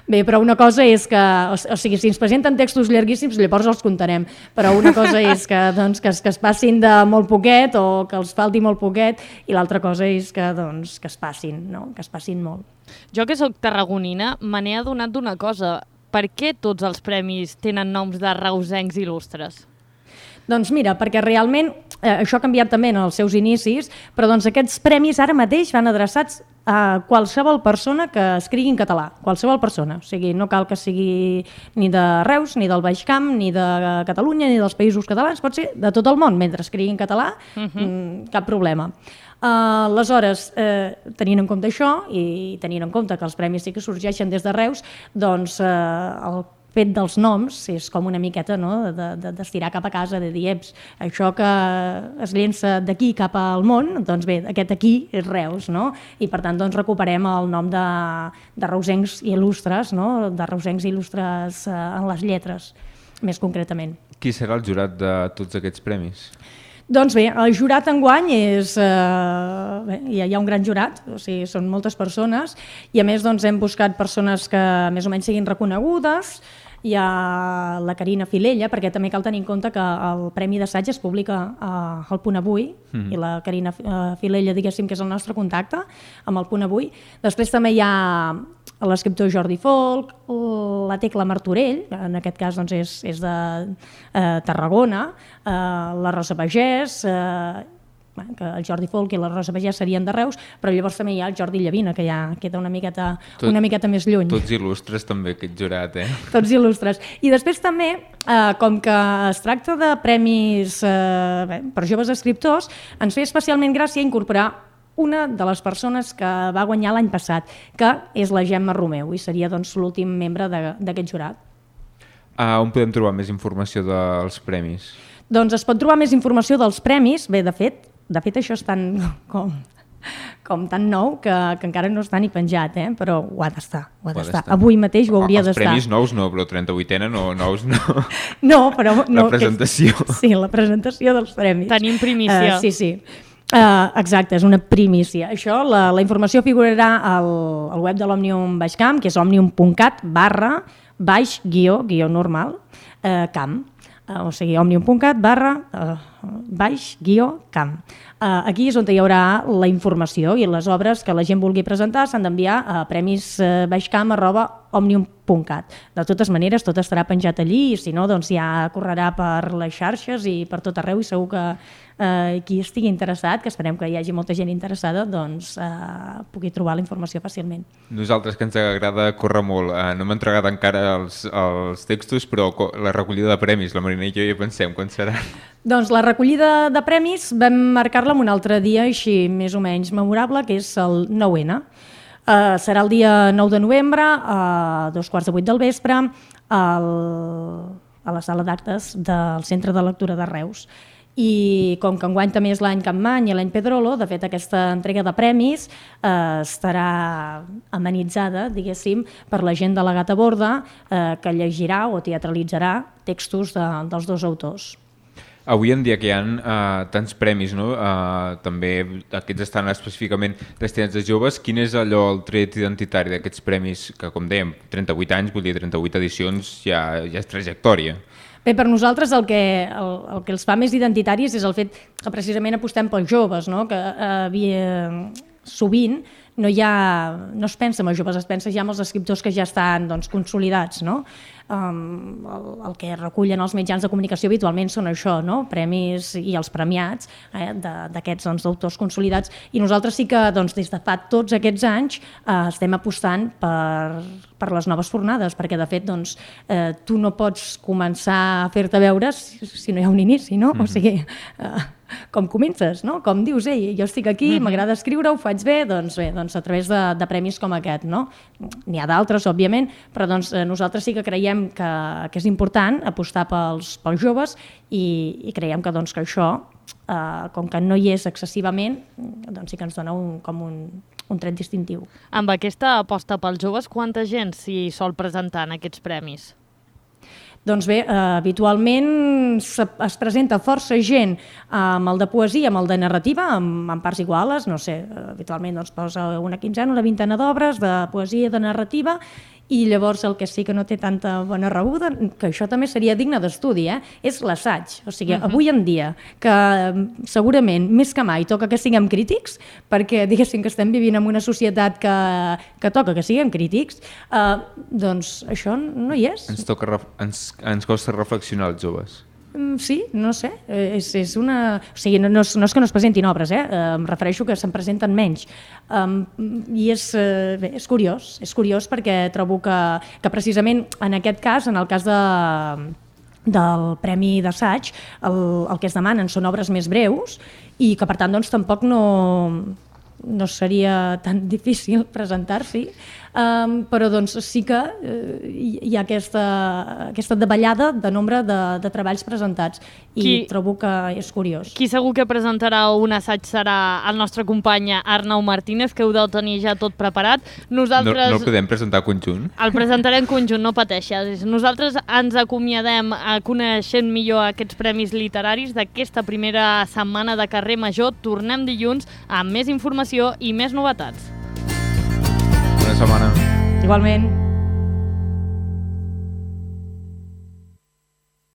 Bé, però una cosa és que, o sigui, si ens presenten textos llarguíssims, llavors els comptarem, però una cosa és que es passin de molt poquet o que els falti molt poquet, i l'altra cosa és que es passin, no? Que es passin molt. Jo que sóc tarragonina me n'he adonat d'una cosa. Per què tots els premis tenen noms de reusencs il·lustres? Doncs mira, perquè realment això ha canviat també en els seus inicis, però doncs aquests premis ara mateix van adreçats a qualsevol persona que escrigui en català, qualsevol persona. O sigui, no cal que sigui ni de Reus, ni del Baix Camp, ni de Catalunya, ni dels Països Catalans, pot ser de tot el món, mentre escrigui en català, cap problema. Aleshores, tenint en compte això i tenint en compte que els premis sí que sorgeixen des de Reus, doncs el fet dels noms és com una miqueta d'estirar cap a casa, de dir, això que es llença d'aquí cap al món, doncs bé, aquest aquí és Reus, no? I per tant recuperem el nom de reusencs il·lustres, de reusencs il·lustres en les lletres, més concretament. Qui serà el jurat de tots aquests premis? Doncs bé, el jurat enguany és... hi ha un gran jurat, o sigui, són moltes persones, i a més hem buscat persones que més o menys siguin reconegudes. Hi ha la Carina Filella, perquè també cal tenir en compte que el Premi d'Assaig es publica al Punt Avui, i la Carina Filella, diguéssim, que és el nostre contacte amb el Punt Avui. Després també hi ha l'escriptor Jordi Folch, la Tecla Martorell, en aquest cas és de Tarragona, la Rosa Pagès, que el Jordi Folch i la Rosa Pagès serien de Reus, però llavors també hi ha el Jordi Llavina, que ja queda una miqueta més lluny. Tots il·lustres també, aquest jurat, Tots il·lustres. I després també, com que es tracta de premis per joves escriptors, ens feia especialment gràcia incorporar una de les persones que va guanyar l'any passat, que és la Gemma Romeu, i seria l'últim membre d'aquest jurat. On podem trobar més informació dels premis? Doncs es pot trobar més informació dels premis. Bé, de fet això és tan com com tan nou que encara no està ni penjat, però ho ha d'estar, Avui mateix ho hauria d'estar. Els premis nous no, però 38ena nous no. No, però... La presentació. Sí, la presentació dels premis. Tenim primícia. Sí. Exacte, és una primícia. Això, la informació figurarà al web de l'Òmnium Baixcamp, que és òmnium.cat/guió normal, camp. O sigui, òmnium.cat/camp. Aquí és on hi haurà la informació i les obres que la gent vulgui presentar s'han d'enviar a premisbaixcamp@òmnium.cat. De totes maneres, tot estarà penjat allí i si no, doncs ja correrà per les xarxes i per tot arreu i segur que qui estigui interessat, que esperem que hi hagi molta gent interessada, doncs pugui trobar la informació fàcilment. Nosaltres, que ens agrada córrer molt, no hem entregat encara els textos, però la recollida de premis, la Marina i jo ja pensem quan serà. Doncs la recollida de premis vam marcar-la en un altre dia així més o menys memorable, que és el 9N. Serà el dia 9 de novembre, a 7:15 del vespre, a la sala d'actes del Centre de Lectura de Reus. I com que enguany també és l'any Campmany i l'any Pedrolo, de fet aquesta entrega de premis estarà amenitzada, diguéssim, per la gent delegat a borda que llegirà o teatralitzarà textos dels dos autors. Avui en dia que hi ha tants premis, no? També aquests estan específicament destinats a joves. Quin és allò, el tret identitari d'aquests premis que, com dèiem, 38 anys, vull dir 38 edicions, ja és trajectòria? Bé, per nosaltres el que els fa més identitaris és el fet que precisament apostem pels joves, no? Que sovint no es pensa en els joves, es pensa ja en els escriptors que ja estan consolidats, no? El que recullen els mitjans de comunicació habitualment són això, no? Premis i els premiats d'aquests autors consolidats, i nosaltres sí que des de fa tots aquests anys estem apostant per les noves fornades, perquè de fet tu no pots començar a fer-te veure si no hi ha un inici, no? O sigui, com comences, no? Com dius, jo estic aquí, m'agrada escriure, ho faig bé, doncs a través de premis com aquest, no? N'hi ha d'altres, òbviament, però nosaltres sí que creiem que és important apostar pels joves i creiem que això, com que no hi és excessivament, doncs sí que ens dona com un tret distintiu. Amb aquesta aposta pels joves, quanta gent s'hi sol presentar en aquests premis? Doncs bé, habitualment es presenta força gent amb el de poesia, amb el de narrativa, amb parts iguales, no sé, habitualment posa una quinzena, una vintena d'obres de poesia i de narrativa, i llavors el que sí que no té tanta bona rebuda, que això també seria digne d'estudi, és l'assaig. O sigui, avui en dia, que segurament més que mai toca que siguem crítics, perquè diguéssim que estem vivint en una societat que toca que siguem crítics, doncs això no hi és. Ens costa reflexionar els joves. Sí, no sé, és una... O sigui, no és que no es presentin obres, em refereixo que se'n presenten menys. I és curiós perquè trobo que precisament en aquest cas, en el cas del Premi d'Assaig, el que es demanen són obres més breus i que per tant tampoc no seria tan difícil presentar-s'hi, però sí que hi ha aquesta davallada de nombre de treballs presentats i trobo que és curiós. Qui segur que presentarà un assaig serà el nostre company Arnau Martínez, que heu de tenir ja tot preparat. Nosaltres... No el podem presentar conjunt? El presentarem conjunt, no pateixis. Nosaltres ens acomiadem coneixent millor aquests premis literaris d'aquesta primera setmana de Carrer Major. Tornem dilluns amb més informació i més novetats. Bona setmana. Igualment.